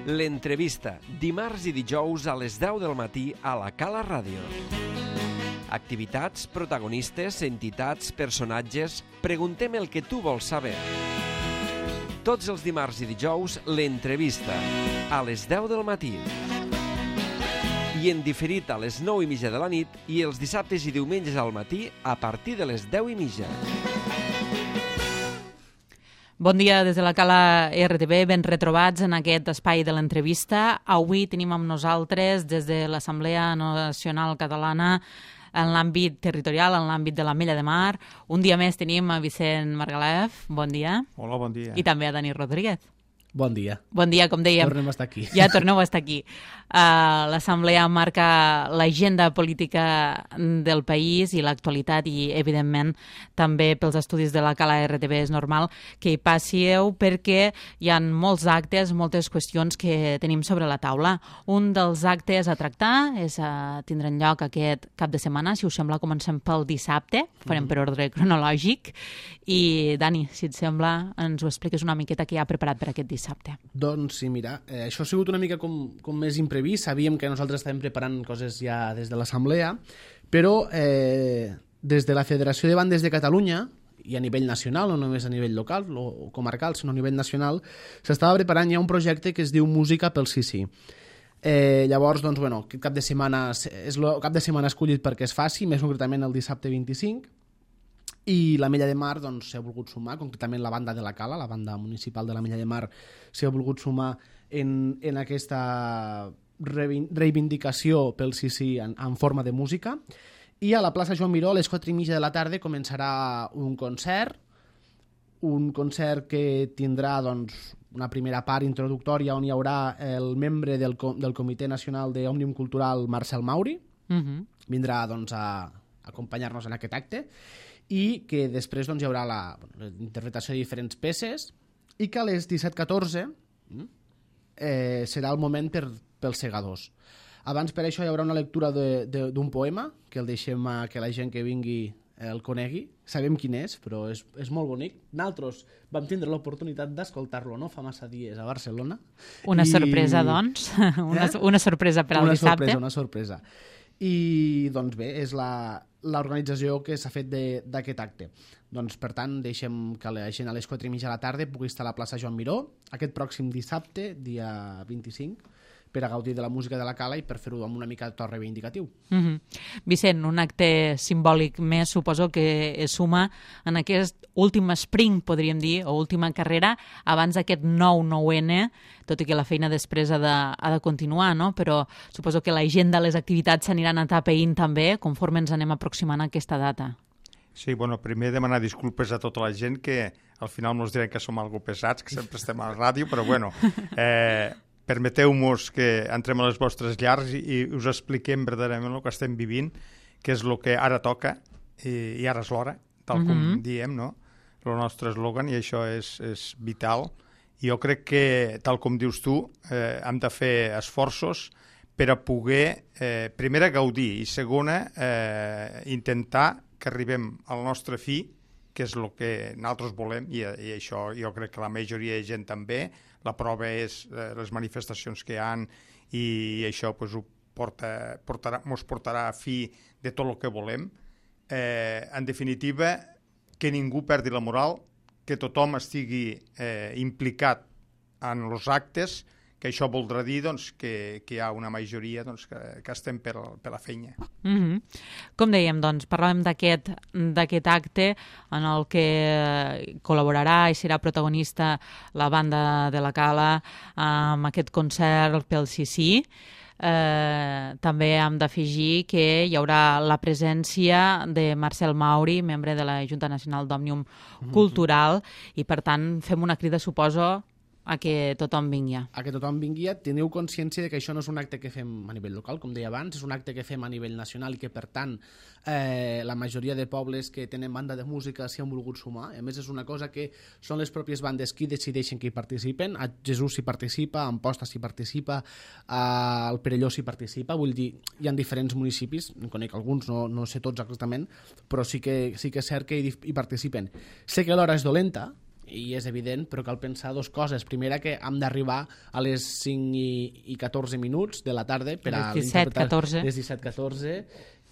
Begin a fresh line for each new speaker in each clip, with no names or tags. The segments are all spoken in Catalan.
L'entrevista, dimarts i dijous a les 10 del matí a la Cala Ràdio. Activitats, protagonistes, entitats, personatges... Preguntem el que tu vols saber. Tots els dimarts i dijous, l'entrevista, a les 10 del matí. I en diferit a les 9:30 de la nit i els dissabtes i diumenges al matí a partir de les 10:30.
Bon dia des de la Cala RTV, ben retrobats en aquest espai de l'entrevista. Avui tenim amb nosaltres des de l'Assemblea Nacional Catalana en l'àmbit territorial, en l'àmbit de l'Ametlla de Mar. Un dia més tenim a Vicent Margalef, bon dia.
Hola, bon dia.
I també a Dani Rodríguez.
Bon dia.
Bon dia, com dèiem.
Tornem a estar aquí.
Ja torneu a estar aquí. L'Assemblea marca l'agenda política del país i l'actualitat i, evidentment, també pels estudis de la Cala RTV és normal que hi passíeu perquè hi ha molts actes, moltes qüestions que tenim sobre la taula. Un dels actes a tractar tindran lloc aquest cap de setmana. Si us sembla, comencem pel dissabte. Farem per ordre cronològic. I, Dani, si et sembla, ens ho expliques una miqueta que hi ha preparat per aquest dissabte.
Doncs sí, mira, això ha sigut una mica com més imprevist. Sabíem que nosaltres estàvem preparant coses ja des de l'Assemblea, però des de la Federació de Bandes de Catalunya, i a nivell nacional, no només a nivell local o comarcal, sinó a nivell nacional, s'estava preparant ja un projecte que es diu Música pel Sí. Llavors, doncs, bueno, aquest cap de setmana és el cap de setmana escollit perquè es faci, més concretament el dissabte 25, i l'Ametlla de Mar doncs, s'ha volgut sumar, concretament la banda de la Cala, la banda municipal de l'Ametlla de Mar, s'ha volgut sumar en aquesta reivindicació pel Sí en forma de música. I a la plaça Joan Miró, a les 4:30 de la tarda, començarà un concert que tindrà doncs, una primera part introductòria on hi haurà el membre del Comitè Nacional d'Òmnium Cultural, Marcel Mauri. Vindrà doncs, a acompanyar-nos en aquest acte, i que després doncs, hi haurà la interpretació de diferents peces i que a les 17:14 serà el moment pels segadors. Abans per això hi haurà una lectura d'un poema que el deixem que la gent que vingui el conegui. Sabem quin és, però és molt bonic. Nosaltres vam tindre l'oportunitat d'escoltar-lo no fa massa dies a Barcelona.
Una sorpresa, doncs. Una sorpresa per al dissabte.
Una sorpresa. I doncs bé, és l'organització que s'ha fet d'aquest acte. Doncs per tant deixem que la gent a les 4:30 de la tarda pugui estar a la plaça Joan Miró aquest pròxim dissabte, dia 25, per a gaudir de la música de la Cala i per fer-ho amb una mica de to reivindicatiu.
Vicent, un acte simbòlic més suposo que es suma en aquest últim sprint, podríem dir, o última carrera abans d'aquest 9/9N, tot i que la feina després ha de continuar, no? Però suposo que l'agenda de les activitats s'aniran atapeint també conforme ens anem aproximant a aquesta data.
Sí, bueno, primer demanar disculpes a tota la gent que al final ens diran que som algo pesats, que sempre estem a la ràdio, però bueno, permeteu-nos que entrem a les vostres llars i us expliquem verdaderament el que estem vivint, que és el que ara toca i ara és l'hora, tal com diem, no? El nostre eslògan, i això és vital. I jo crec que, tal com dius tu, hem de fer esforços per a poder, primera, gaudir, i segona, intentar que arribem al nostre fi, que és el que nosaltres volem, i això jo crec que la majoria de gent també. La prova és les manifestacions que hi ha, i això ens portarà a fi de tot el que volem. En definitiva, que ningú perdi la moral, que tothom estigui implicat en els actes, que això voldrà dir doncs, que hi ha una majoria doncs, que estem per la feina.
Com dèiem, doncs, parlàvem d'aquest acte en el que col·laborarà i serà protagonista la banda de la Cala amb aquest concert pel Sí. També hem d'afegir que hi haurà la presència de Marcel Mauri, membre de la Junta Nacional d'Òmnium Cultural, i per tant fem una crida, suposo, a que tothom vingui.
A que tothom vingui. Teniu consciència de que això no és un acte que fem a nivell local, com deia abans, és un acte que fem a nivell nacional i que, per tant, la majoria de pobles que tenen banda de música s'hi han volgut sumar. A més, és una cosa que són les pròpies bandes qui decideixen que hi participen. A Jesús s'hi participa, a Amposta s'hi participa, al Perelló s'hi participa. Vull dir, hi ha diferents municipis, en conec alguns, no sé tots exactament, però sí que és cert que hi participen. Sé que l'hora és dolenta, i és evident, però cal pensar dues coses. Primera, que hem d'arribar a les 5 i 14 minuts de la tarda per a
les 17-14.
Les 17-14.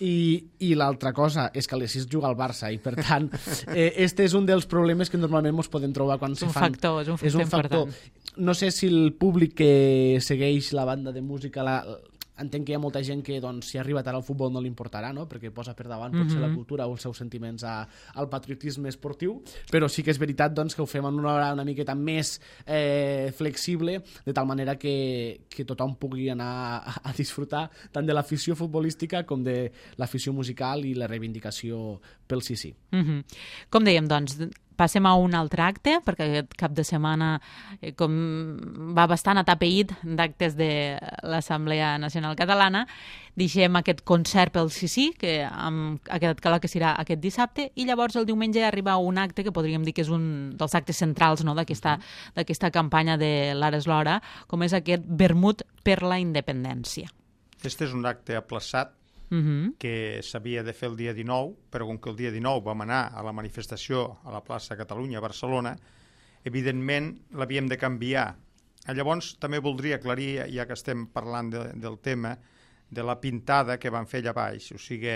I l'altra cosa és que a les 6 juga el Barça i per tant este és un dels problemes que normalment ens podem trobar quan se fan.
És un factor important.
No sé si el públic que segueix la banda de música entenc que hi ha molta gent que doncs, si arriba tard al futbol no li importarà, no? Perquè posa per davant potser la cultura o els seus sentiments al patriotisme esportiu, però sí que és veritat doncs, que ho fem en una hora una miqueta més flexible, de tal manera que tothom pugui anar a disfrutar tant de l'afició futbolística com de l'afició musical i la reivindicació pel sí.
Com dèiem, doncs, passem a un altre acte, perquè aquest cap de setmana com va bastant atapeït d'actes de l'Assemblea Nacional Catalana. Deixem aquest concert pel sí, que ha quedat clar que serà aquest dissabte, i llavors el diumenge arriba un acte que podríem dir que és un dels actes centrals, no?, d'aquesta campanya de l'Ara és l'hora, com és aquest vermut per la independència.
Este és un acte aplaçat que s'havia de fer el dia 19, però com que el dia 19 vam anar a la manifestació a la plaça Catalunya a Barcelona, evidentment l'havíem de canviar. Llavors també voldria aclarir, ja que estem parlant del tema, de la pintada que van fer allà baix. O sigui,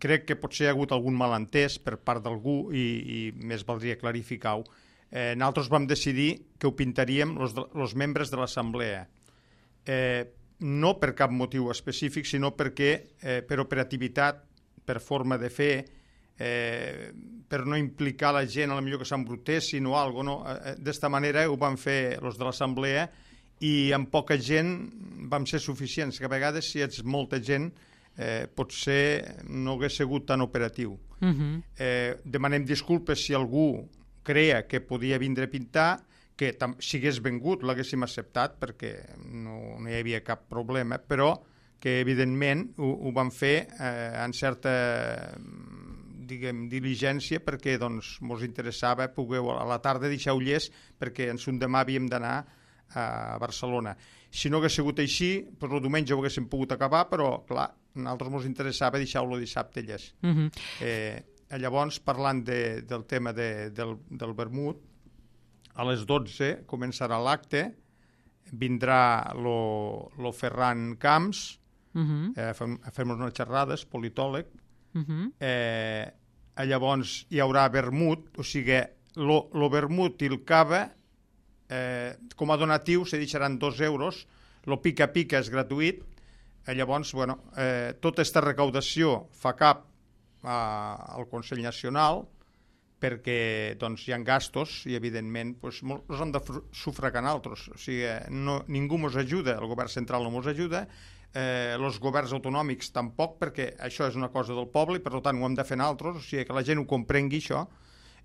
crec que potser hi ha hagut algun malentès per part d'algú i més valdria clarificar-ho. Nosaltres vam decidir que ho pintaríem els membres de l'Assemblea. No per cap motiu específic, sinó perquè per operativitat, per forma de fer, per no implicar la gent, a la millor que s'embrutessin o alguna cosa. D'esta manera ho van fer els de l'Assemblea i amb poca gent vam ser suficients, que a vegades si ets molta gent potser no hagués sigut tan operatiu. Demanem disculpes si algú creia que podia vindre a pintar, que si hagués vengut l'haguéssim acceptat perquè no hi havia cap problema, però que evidentment ho van fer en certa diligència perquè doncs mos interessava poder a la tarda deixar ullers perquè en son demà havíem d'anar a Barcelona. Si no hagués sigut així, doncs el diumenge ho haguéssim pogut acabar, però clar, a nosaltres mos interessava deixar-lo dissabte llest. Llavors, parlant del tema del vermut, a les 12 començarà l'acte, vindrà lo Ferran Camps, a fer-nos unes xerrades, politòleg. Llavors hi haurà vermut, o sigui, lo vermut i el cava, com a donatiu se deixaran 2 euros, lo pica-pica és gratuït. Llavors, bueno, tota aquesta recaudació fa cap al Consell Nacional, perquè doncs, hi ha gastos i evidentment doncs, els hem de sufragar nosaltres. O sigui, ningú ens ajuda, el govern central no ens ajuda, els governs autonòmics tampoc, perquè això és una cosa del poble i per tant ho hem de fer nosaltres, o sigui que la gent ho comprengui això.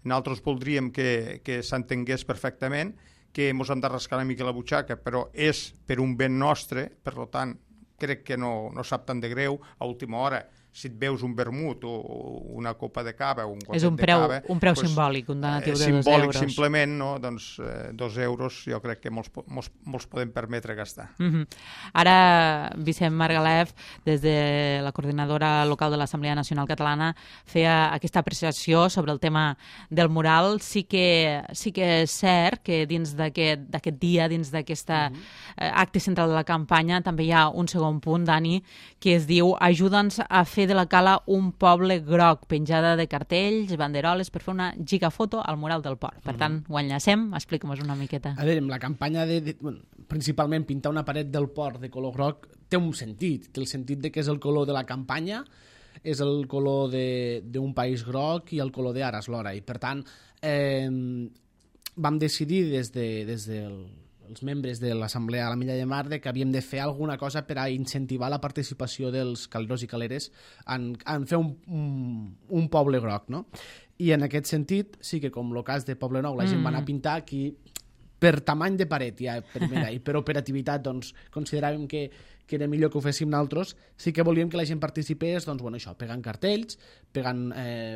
Nosaltres voldríem que s'entengués perfectament, que ens hem de rascar una mica la butxaca, però és per un ben nostre, per tant crec que no sap tant de greu a última hora. Si et veus un vermut o una copa de cava o un gotet de cava...
És un preu simbòlic, un donatiu de 2 euros.
Simbòlic, simplement, no? Doncs 2 euros jo crec que molts podem permetre gastar.
Ara, Vicent Margalef, des de la coordinadora local de l'Assemblea Nacional Catalana, feia aquesta apreciació sobre el tema del mural. Sí que és cert que dins d'aquest dia, dins d'aquest acte central de la campanya, també hi ha un segon punt, Dani, que es diu ajuda'ns a fer de la Cala un poble groc, penjada de cartells, banderoles, per fer una gigafoto al mural del port. Per tant, ho enllacem, explica'm-nos una miqueta.
A veure, la campanya principalment pintar una paret del port de color groc té un sentit, té el sentit de que és el color de la campanya, és el color d'un país groc i el color d'ara és l'hora. I per tant, vam decidir des els membres de l'Assemblea a la Milla de Mar que havíem de fer alguna cosa per a incentivar la participació dels caleros i caleres en fer un poble groc, no? I en aquest sentit, sí que com el cas de Poble Nou, la gent va anar a pintar aquí per tamany de paret, ja, primera, i per operativitat, doncs, consideràvem que era millor que ho féssim nosaltres. Sí que volíem que la gent participés, doncs, bueno, això, pegant cartells, pegant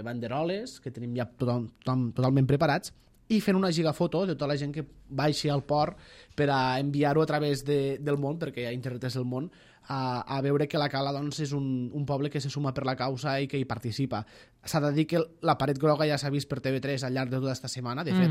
banderoles, que tenim ja totalment preparats, i fent una gigafoto de tota la gent que baixi al port per a enviar-ho a través del món, perquè ja internet és el món, a veure que la Cala doncs, és un poble que se suma per la causa i que hi participa. S'ha de dir que la paret groga ja s'ha vist per TV3 al llarg de tota aquesta setmana. De fet,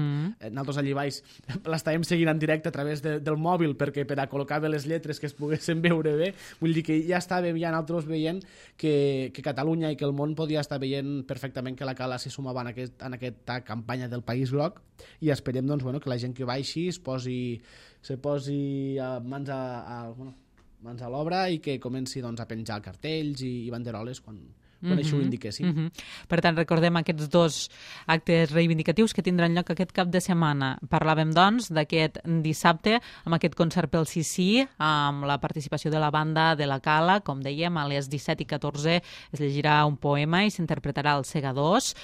nosaltres allí baix l'estàvem seguint en directe a través del mòbil perquè per a col·locar bé les lletres que es poguessin veure bé. Vull dir que ja estàvem ja nosaltres veient que Catalunya i que el món podia estar veient perfectament que la Cala se sumava en aquesta campanya del País Groc i esperem doncs, bueno, que la gent que baixi se posi mans a l'obra i que comenci doncs, a penjar cartells i banderoles quan això ho indiquéssim.
Per tant, recordem aquests dos actes reivindicatius que tindran lloc aquest cap de setmana. Parlàvem, doncs, d'aquest dissabte amb aquest concert pel Sí, amb la participació de la banda de la Cala, com dèiem, a les 17:14 es llegirà un poema i s'interpretarà el Segadors,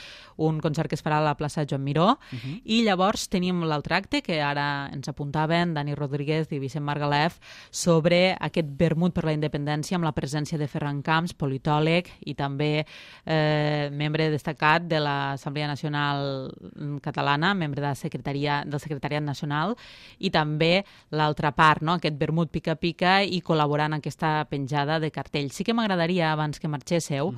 un concert que es farà a la plaça Joan Miró, i llavors tenim l'altre acte que ara ens apuntaven Dani Rodríguez i Vicent Margalef sobre aquest vermut per la independència amb la presència de Ferran Camps, politòleg i també membre destacat de l'Assemblea Nacional Catalana, membre del Secretariat Nacional, i també l'altra part, no? Aquest vermut pica-pica i col·laborant en aquesta penjada de cartells. Sí que m'agradaria, abans que marxéssiu,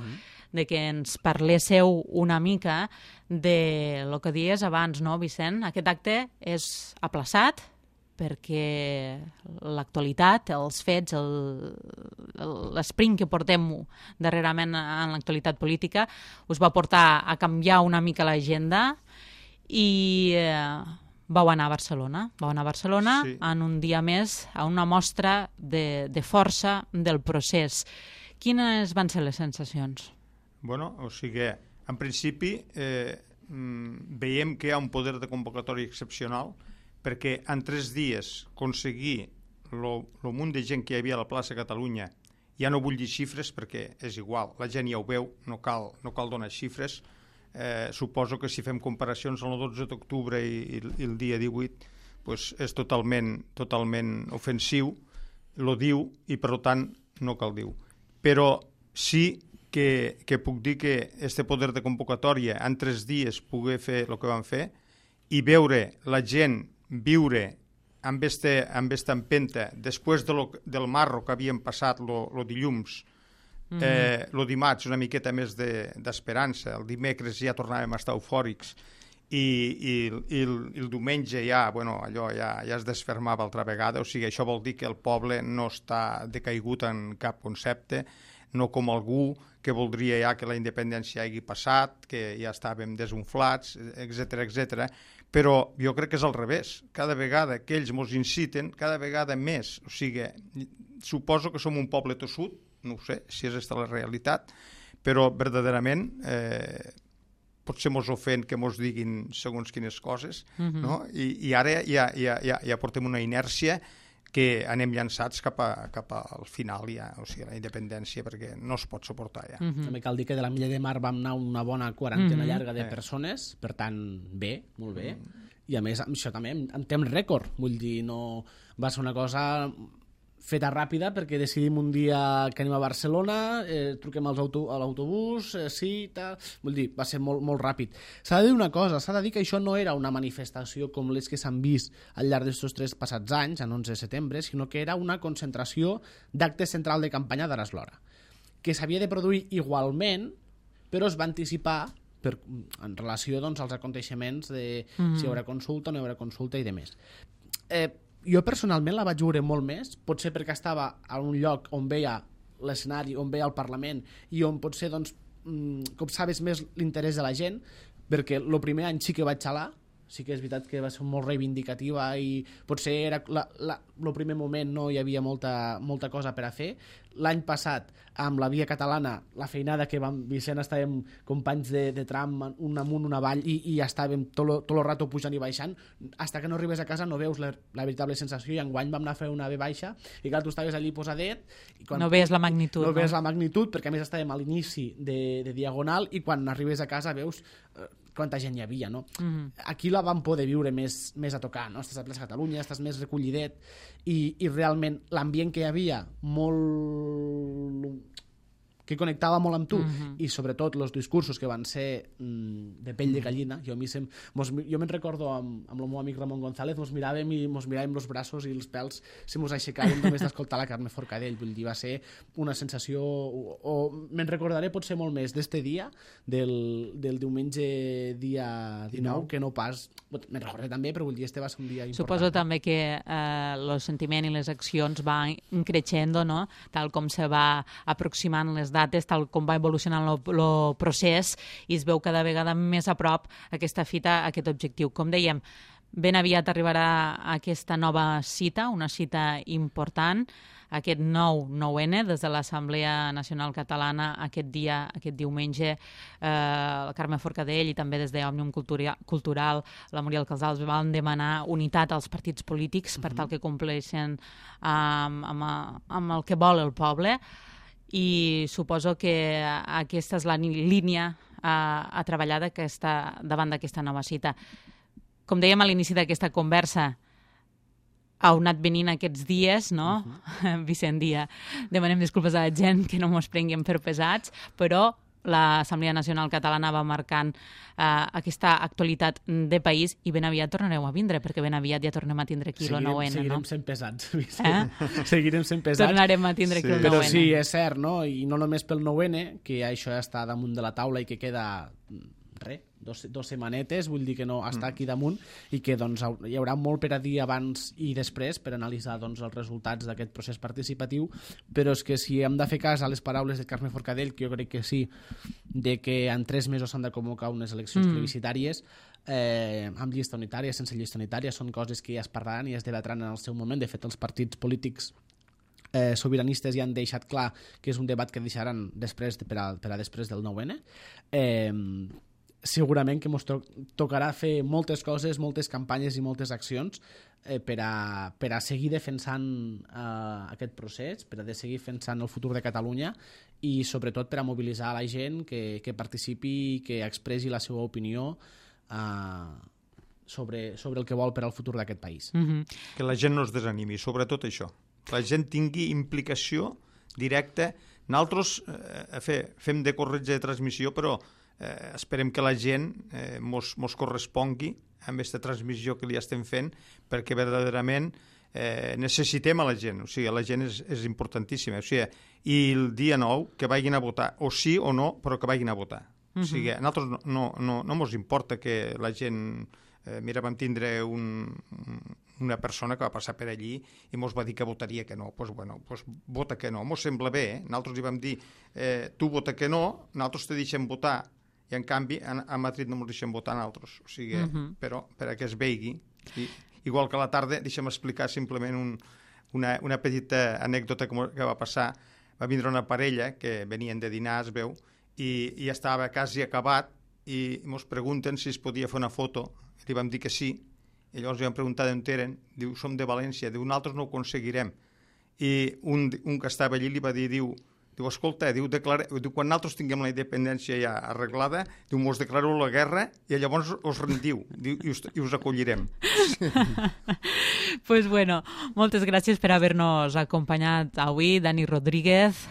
de que ens parléssiu una mica de lo que dies abans, no, Vicent? Aquest acte és aplaçat perquè l'actualitat, els fets, l'esprint que portem darrerament en l'actualitat política us va portar a canviar una mica l'agenda i vau anar a Barcelona. Sí. En un dia més a una mostra de força del procés. Quines van ser les sensacions?
Bueno, o sigui, en principi veiem que hi ha un poder de convocatòria excepcional perquè en 3 dies aconseguir el munt de gent que hi havia a la plaça Catalunya, ja no vull dir xifres perquè és igual, la gent ja ho veu, no cal donar xifres. Suposo que si fem comparacions amb el 12 d'octubre i el dia 18 pues és totalment ofensiu, lo diu i per tant no cal dir. Però sí que puc dir que este poder de convocatòria en 3 dies poder fer el que vam fer i veure la gent viure amb esta empenta després del marro que havíem passat lo dilluns, lo dimarts una miqueta més d'esperança, el dimecres ja tornàvem a estar eufòrics i el diumenge ja, bueno, allò ja es desfermava altra vegada, o sigui, això vol dir que el poble no està decaigut en cap concepte, no com algú que voldria ja que la independència hagi passat, que ja estàvem desunflats, etc. Però jo crec que és al revés. Cada vegada que ells ens inciten, cada vegada més. O sigui, suposo que som un poble tossut, no ho sé si és aquesta la realitat, però verdaderament potser ens ofèn que ens diguin segons quines coses, no? I ara ja portem una inèrcia que anem llançats cap al final ja, o sigui, la independència, perquè no es pot suportar ja.
També cal dir que de la Milla de Mar vam anar una bona quarantena llarga de persones, per tant, bé, molt bé, i a més això també en temps rècord, vull dir, no va ser una cosa feta ràpida perquè decidim un dia que anem a Barcelona, truquem a l'autobús, sí, tal... Vull dir, va ser molt, molt ràpid. S'ha de dir una cosa, s'ha de dir que això no era una manifestació com les que s'han vist al llarg d'aquests 3 passats anys, en 11 de setembre, sinó que era una concentració d'acte central de campanya d'Aras Lora, que s'havia de produir igualment, però es va anticipar en relació doncs, als aconteixements de si hi haurà consulta o no hi haurà consulta i demés. Jo personalment la vaig veure molt més, potser perquè estava a un lloc on veia l'escenari, on veia el Parlament i on potser doncs, copsaves més l'interès de la gent, perquè el primer any sí que vaig xalar, sí que és veritat que va ser molt reivindicativa i potser era el primer moment no hi havia molta cosa per a fer. L'any passat, amb la Via Catalana, la feinada que Vicent estàvem companys de tram, un amunt, un avall, i estàvem tot el rato pujant i baixant, hasta que no arribes a casa no veus la veritable sensació, i enguany vam anar a fer una V baixa, i clar, tu estaves allí posadet... I quan
no veies la magnitud.
No veies la magnitud, perquè a més estàvem a l'inici de Diagonal, i quan arribes a casa veus quanta gent hi havia, no? Aquí la vam poder viure més a tocar, no? Estàs a Plaça Catalunya, estàs més recollidet, i realment l'ambient que hi havia, molt que connectava molt amb tu, i sobretot els discursos que van ser de pell de gallina. Jo me'n recordo amb el meu amic Ramon González, mos miràvem els braços i els pèls se mos aixecaven només d'escoltar la Carme Forcadell. Vull dir, va ser una sensació, o me'n recordaré potser molt més d'este dia, del diumenge dia 19, que no pas... Me'n recordaré també, però vull dir, este va ser un dia important.
Suposo també que el sentiment i les accions van creixent, no? Tal com se va aproximant les dates, tal com va evolucionant el procés, i es veu cada vegada més a prop aquesta fita, aquest objectiu. Com dèiem, ben aviat arribarà aquesta nova cita, una cita important, aquest 9-9N, des de l'Assemblea Nacional Catalana, aquest diumenge, la Carme Forcadell i també des d'Òmnium Cultural, la Muriel Casals van demanar unitat als partits polítics per tal que compleixen amb el que vol el poble, i suposo que aquesta és la línia a treballar davant d'aquesta nova cita. Com dèiem a l'inici d'aquesta conversa, heu anat venint aquests dies, no? Vicent Dia, demanem disculpes a la gent que no mos prenguem per pesats, però l'Assemblea Nacional Catalana va marcant aquesta actualitat de país, i ben aviat tornareu a vindre, perquè ben aviat ja tornem a tindre aquí el 9N, no?
Seguirem sent pesats. Seguirem sent pesats.
Tornarem a tindre aquí el 9N.
Però sí, és cert, no? I no només pel 9N, que això ja està damunt de la taula i que queda... dos setmanetes, vull dir que no està aquí damunt, i que doncs, hi haurà molt per a dir abans i després per analitzar doncs, els resultats d'aquest procés participatiu, però és que si hem de fer cas a les paraules de Carme Forcadell, que jo crec que sí, de que en 3 mesos s'han de convocar unes eleccions plebiscitàries, amb llista unitària, sense llista unitària, són coses que ja es parlaran i es debatran en el seu moment. De fet, els partits polítics sobiranistes ja han deixat clar que és un debat que deixaran després per a després del 9N. Segurament que ens tocarà fer moltes coses, moltes campanyes i moltes accions per a seguir defensant aquest procés, per a seguir defensant el futur de Catalunya, i sobretot per a mobilitzar la gent que participi i que expressi la seva opinió sobre el que vol per al futur d'aquest país.
Que la gent no es desanimi, sobretot això. Que la gent tingui implicació directa. Nosaltres fem de corretja de transmissió, però esperem que la gent mos correspongui amb aquesta transmissió que li estem fent, perquè verdaderament necessitem a la gent. O sigui, la gent és importantíssima. O sigui, i el dia 9 que vagin a votar, o sí o no, però que vagin a votar. O sigui, a nosaltres no mos importa que la gent... Mira, vam tindre una persona que va passar per allí i mos va dir que votaria que no. Doncs vota que no. Mos sembla bé, Nosaltres li vam dir tu vota que no, nosaltres te deixem votar, i en canvi a Madrid no ens deixem votar nosaltres. O sigui, però per a que es veigui. Igual que a la tarda, deixem explicar simplement una petita anècdota que va passar. Va vindre una parella que venien de dinar, es veu, i estava quasi acabat, i ens pregunten si es podia fer una foto. Li vam dir que sí, i llavors li vam preguntar d'on eren. Diu, som de València. Diu, nosaltres no ho aconseguirem. I un que estava allí li va dir, diu, escolta, quan nosaltres tinguem la independència ja arreglada, diu, mos declareu la guerra i llavors us rendiu, i us acollirem.
Pues bueno, moltes gràcies per haver-nos acompanyat avui, Dani Rodríguez,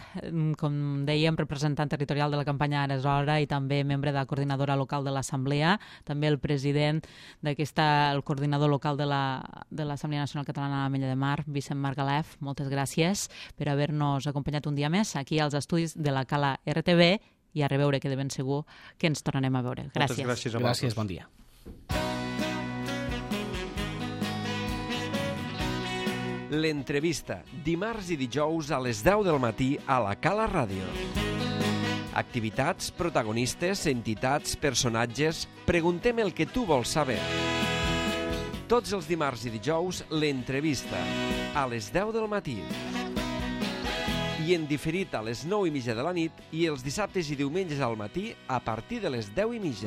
com dèiem, representant territorial de la campanya Ara és hora i també membre de la coordinadora local de l'Assemblea, també el president el coordinador local de l'Assemblea Nacional Catalana a l'Ametlla de Mar, Vicent Margalef. Moltes gràcies per haver-nos acompanyat un dia més aquí als estudis de la Cala RTV, i a reveure, que de ben segur que ens tornarem a veure. Gràcies.
Moltes gràcies a vosaltres.
Gràcies, bon dia.
L'entrevista, dimarts i dijous a les 10 del matí a la Cala Ràdio. Activitats, protagonistes, entitats, personatges... Preguntem el que tu vols saber. Tots els dimarts i dijous, l'entrevista, a les 10 del matí. I en diferit a les 9:30 de la nit, i els dissabtes i diumenges al matí a partir de les 10:30.